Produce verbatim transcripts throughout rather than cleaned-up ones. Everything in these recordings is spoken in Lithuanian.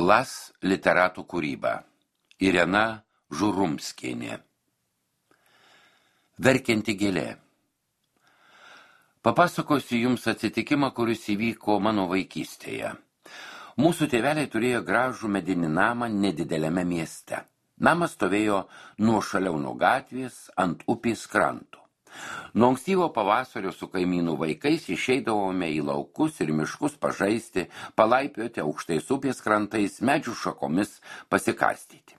Las literatų kūryba. Irena Žurumskienė. Verkianti gėlė. Papasakosiu jums atsitikimą, kuris įvyko mano vaikystėje. Mūsų tėveliai turėjo gražų medinį namą nedideliame mieste. Namas stovėjo nuošaliau nuo gatvės ant upės kranto. Nuo ankstyvo pavasario su kaimynų vaikais išeidavome į laukus ir miškus pažaisti, palaipioti aukštais upės krantais, medžių šakomis pasikastyti.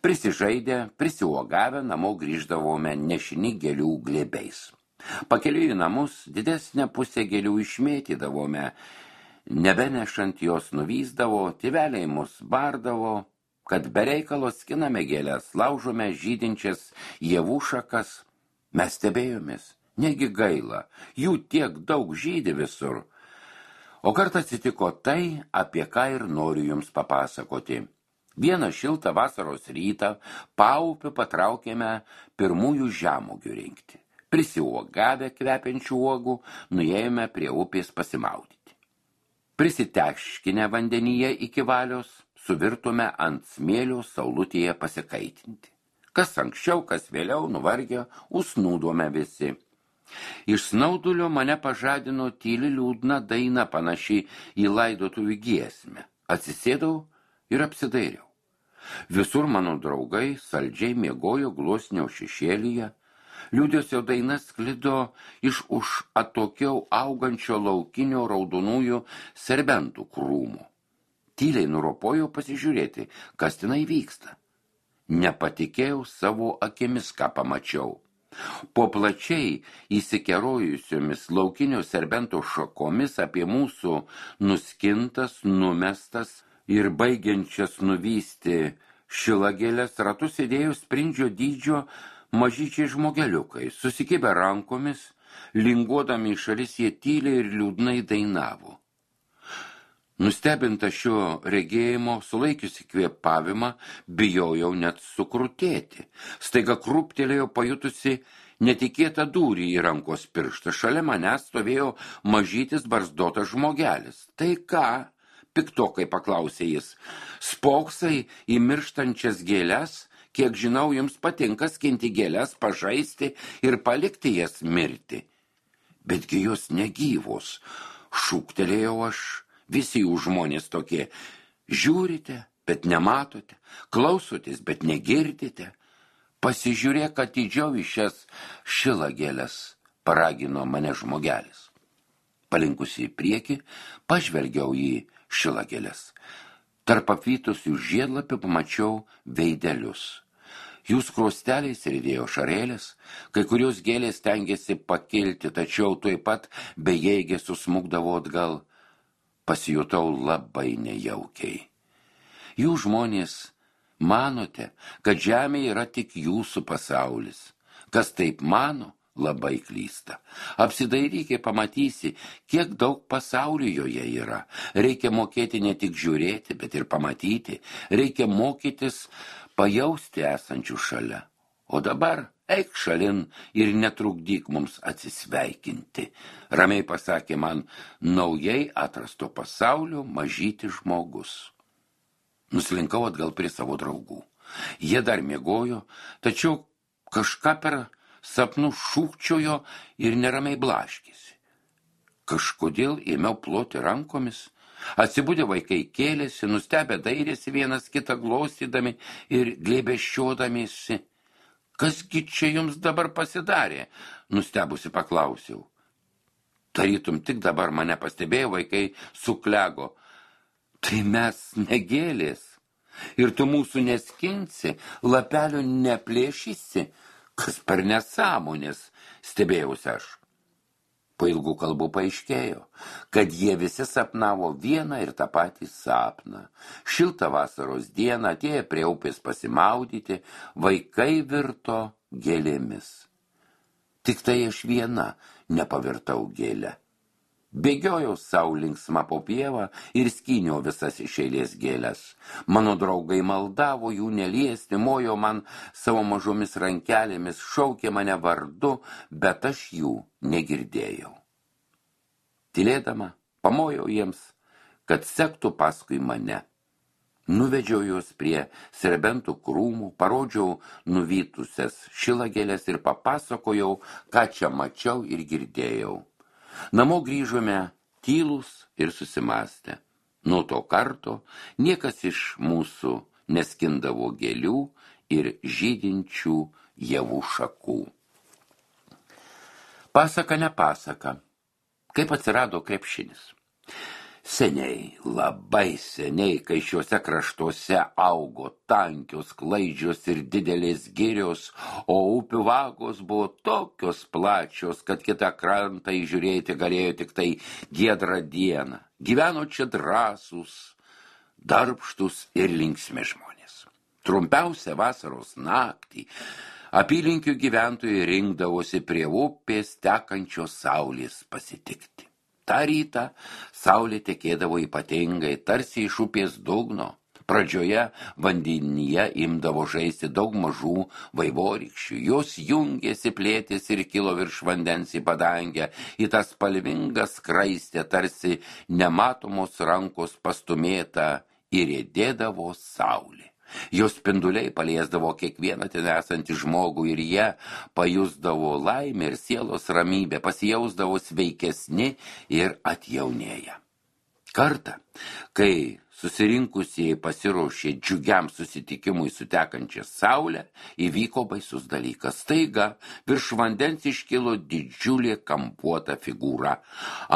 Prisižaidę, prisiuogavę namo grįždavome nešini gėlių glėbiais. Pakeliui į namus didesnę pusę gėlių išmėtydavome, nebenešant jos nuvyzdavo, tėveliai mus bardavo, kad be reikalo skiname gėlės, laužome žydinčias javų šakas. Mes stebėjomės, negi gaila, jų tiek daug žydi visur. O kartą atsitiko tai, apie ką ir noriu jums papasakoti. Vieną šiltą vasaros rytą paupiu patraukėme pirmųjų žemuogių rinkti. Prisiuogavę kvepiančių uogų, nuėjome prie upės pasimaudyti. Prisiteškinę vandenyje iki valios, suvirtume ant smėlio saulutėje pasikaitinti. Kas anksčiau, kas vėliau nuvargę, užsnūdome visi. Iš snaudulio mane pažadino tyli liūdna daina panaši į laidotuvių giesmę. Atsisėdau ir apsidairiau. Visur mano draugai saldžiai miegojo gluosnio šešėlyje. Liūdesio daina sklido iš už atokiau augančio laukinio raudonųjų serbentų krūmų. Tyliai nuropojau pasižiūrėti, kas tenai vyksta. Nepatikėjau savo akimis, ką pamačiau. Po plačiai įsikerojusiomis laukinio serbento šakomis apie mūsų nuskintas, numestas ir baigiančias nuvysti šilagėlės ratus sėdėjo sprindžio dydžio mažyčiai žmogeliukai. Susikibę rankomis, linguodami į šalis, jie tyliai ir liūdnai dainavo. Nustebinta šio regėjimo, sulaikiusi kvėpavimą, bijojau net sukrutėti. Staiga krūptelėjo pajutusi netikėtą dūrį į rankos pirštą. Šalia manęs stovėjo mažytis barzdotas žmogelis. Tai ką? Piktokai paklausė jis. Spoksai į mirštančias gėles? Kiek žinau, jums patinka skinti gėles, pažaisti ir palikti jas mirti. Betgi jos negyvos, šūktelėjau aš. Visi jų žmonės tokie. Žiūrite, bet nematote, klausotės, bet negirdite. Pasižiūrėk atidžiau į šias šilagėles, paragino mane žmogelis. Palinkusi į priekį, pažvelgiau į šilagėles. Tarp apvytusių žiedlapių pamačiau veidelius. Jų skruosteliais rydėjo šarėlės, kai kurios gėlės stengėsi pakilti, tačiau tuoj pat bejėgė susmukdavo atgal. Pasijutau labai nejaukiai. Jūs žmonės manote, kad žemė yra tik jūsų pasaulis. Kas taip mano, labai klysta. Apsidairyk ir pamatysi, kiek daug pasaulių joje yra. Reikia mokėti ne tik žiūrėti, bet ir pamatyti. Reikia mokytis pajausti esančių šalia. O dabar eik šalin ir netrukdyk mums atsisveikinti, ramiai pasakė man naujai atrasto pasaulio mažytis žmogus. Nuslinkau atgal prie savo draugų. Jie dar miegojo, tačiau kažką per sapnų šūkčiojo ir neramiai blaškėsi. Kažkodėl ėmiau ploti rankomis. Atsibudę vaikai kėlėsi, nustebę dairėsi vienas kitą glostydami ir glėbesčiodamiesi. Kasgi čia jums dabar pasidarė? Nustebusi paklausiau. Tarytum tik dabar mane pastebėjo, vaikai suklego. Tai mes negėlės. Ir tu mūsų neskinsi, lapelio neplėšysi. Kas per nesąmonės, stebėjausi aš. Po ilgų kalbų paaiškėjo, kad jie visi sapnavo vieną ir tą patį sapną. Šiltą vasaros dieną atėję prie upės pasimaudyti, vaikai virto gėlėmis. Tik tai aš viena nepavirtau gėlę. Bėgiojau sau linksma po pievą ir skyniau visas iš eilės gėles. Mano draugai maldavo jų neliesti, mojo man savo mažomis rankelėmis, šaukė mane vardu, bet aš jų negirdėjau. Tylėdama, pamojau jiems, kad sektų paskui mane. Nuvedžiau juos prie serbentų krūmų, parodžiau nuvytusias šilagėlės ir papasakojau, ką čia mačiau ir girdėjau. Namo grįžome tylūs ir susimąstę. Nuo to karto niekas iš mūsų neskindavo gėlių ir žydinčių javų šakų. Pasaka ne pasaka. Kaip atsirado krepšinis? Seniai, labai seniai, kai šiuose kraštuose augo tankios, klaidžios ir didelės girios, o upių vagos buvo tokios plačios, kad kitą krantą įžiūrėti galėjo tik tai giedrą dieną. Gyveno čia drąsūs, darbštus ir linksmi žmonės. Trumpiausią vasaros naktį apylinkių gyventojai rinkdavosi prie upės tekančios saulės pasitikti. Ta rytą saulė tekėdavo ypatingai, tarsi iš upės dugno. Pradžioje vandenyje imdavo žaisti daug mažų vaivorykščių. Jos jungėsi, plėtėsi ir kilo virš vandens į padangę, į tą spalvingą skraistę, tarsi nematomos rankos pastumėta ir riedėdavo saulė. Jos spinduliai paliesdavo kiekvieną ten esantį žmogų ir jie pajusdavo laimę ir sielos ramybę, pasijausdavo sveikesni ir atjaunėję. Kartą, kai susirinkusieji pasiruošė džiugiam susitikimui su tekančia saulė, įvyko baisus dalykas. Staiga virš vandens iškilo didžiulė kampuota figūra.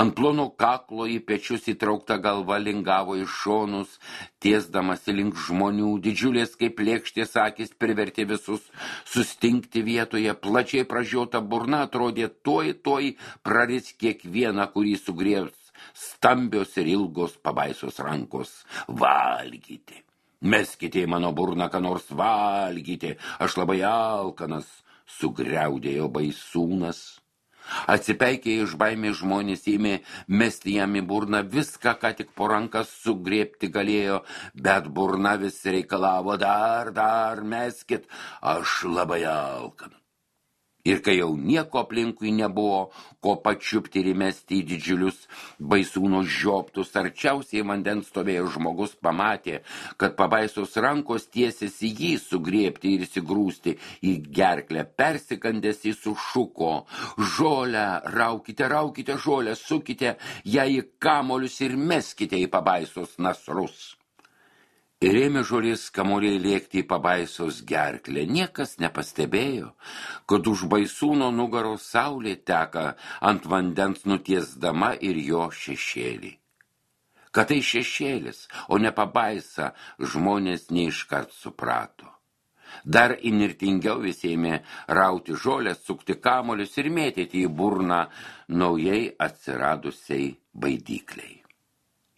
Ant plono kaklo į pečius įtraukta galva lingavo į šonus, tiesdamasi link žmonių. Didžiulės kaip lėkštės akys privertė visus sustingti vietoje. Plačiai pražiota burna atrodė tuoj, tuoj praris kiekvieną, kurį sugriebs stambios ir ilgos pabaisos rankos. Valgyti. Meskite į mano burną, ką nors valgyti. Aš labai alkanas, sugriaudėjo baisūnas. Atsipeikėję iš baimės žmonės ėmė mesti jam į burną viską, ką tik po rankas sugriebti galėjo, bet burna vis reikalavo dar, dar meskit, aš labai alkanas. Ir kai jau nieko aplinkui nebuvo, ko pačiupti ir įmesti į didžiulius baisūno žioptus, arčiausiai vandens stovėjo žmogus, pamatė, kad pabaisos rankos tiesiasi jį sugriebti ir įsigrūsti į gerklę. Persikandęs jis sušuko: žolę, raukite, raukite žolę, sukite ją į kamolius ir meskite į pabaisos nasrus. Ir ėmė žolės kamuoliai lėkti į pabaisos gerklę. Niekas nepastebėjo, kad už baisūno nugaros saulė teka ant vandens nutiesdama ir jo šešėlį. Kad tai šešėlis, o ne pabaisa, žmonės neiškart suprato. Dar įnirtingiau visi ėmė rauti žolę, sukti kamuolius ir mėtyti į burną naujai atsiradusiai baidykliai.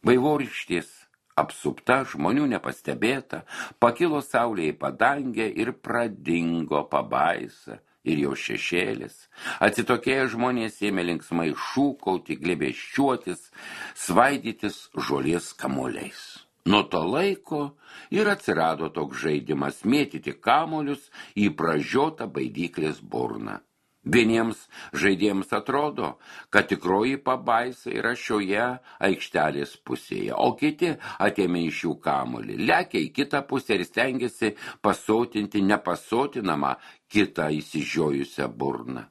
Vaivorykštės apsupta, žmonių nepastebėta, pakilo saulė į padangę ir pradingo pabaisa ir jo šešėlis. Atsitokėję žmonės ėmė linksmai šūkauti, glėbesčiuotis, svaidytis žolės kamuoliais. Nuo to laiko ir atsirado toks žaidimas mėtyti kamuolius į pražiotą baidyklės burną. Vieniems žaidėjams atrodo, kad tikroji pabaisa yra šioje aikštelės pusėje, o kiti atėmė iš jų kamuolį, lekia į kitą pusę ir stengiasi pasotinti nepasotinamą kitą įsižiojusią burną.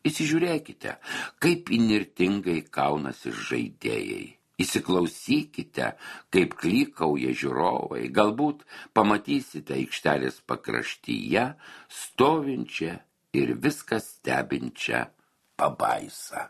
Įsižiūrėkite, kaip įnirtingai kaunasi žaidėjai. Įsiklausykite, kaip klykauja žiūrovai, galbūt pamatysite aikštelės pakraštyje stovinčią ir viską stebinčią pabaisą.